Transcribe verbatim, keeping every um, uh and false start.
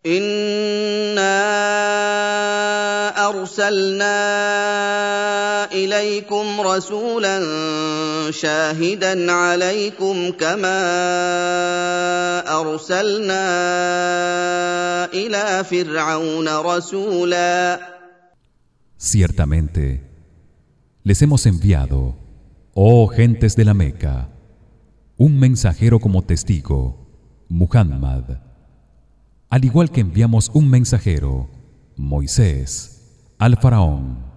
إِنَّا أَرْسَلْنَا إِلَيْكُمْ رَسُولًا شَاهِدًا عَلَيْكُمْ كَمَا أَرْسَلْنَا إِلَىٰ فِرْعَوْنَ رَسُولًا. Ciertamente les hemos enviado, oh gentes de la Meca, un mensajero como testigo, Muhammad, al igual que enviamos un mensajero, Moisés, al faraón.